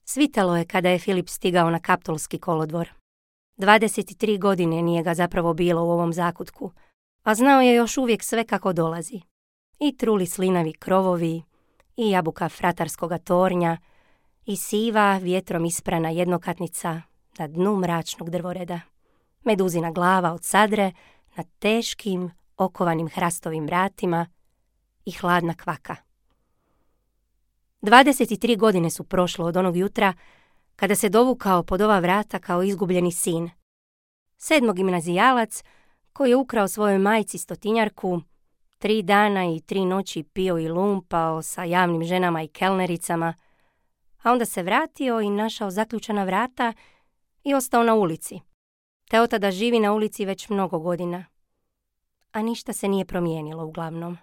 Svitalo je kada je Filip stigao na Kaptolski kolodvor. 23 godine nije ga zapravo bilo u ovom zakutku, a znao je još uvijek sve kako dolazi. I truli slinavi krovovi, i jabuka fratarskoga tornja, i siva vjetrom isprana jednokatnica na dnu mračnog drvoreda. Meduzina glava od sadre na teškim, okovanim hrastovim vratima i hladna kvaka. 23 godine su prošlo od onog jutra kada se dovukao pod ova vrata kao izgubljeni sin. 7. gimnazijalac koji je ukrao svojoj majci stotinjarku, 3 dana i 3 noći pio i lumpao sa javnim ženama i kelnericama, a onda se vratio i našao zaključana vrata i ostao na ulici. Te od tada živi na ulici već mnogo godina. A ništa se nije promijenilo uglavnom.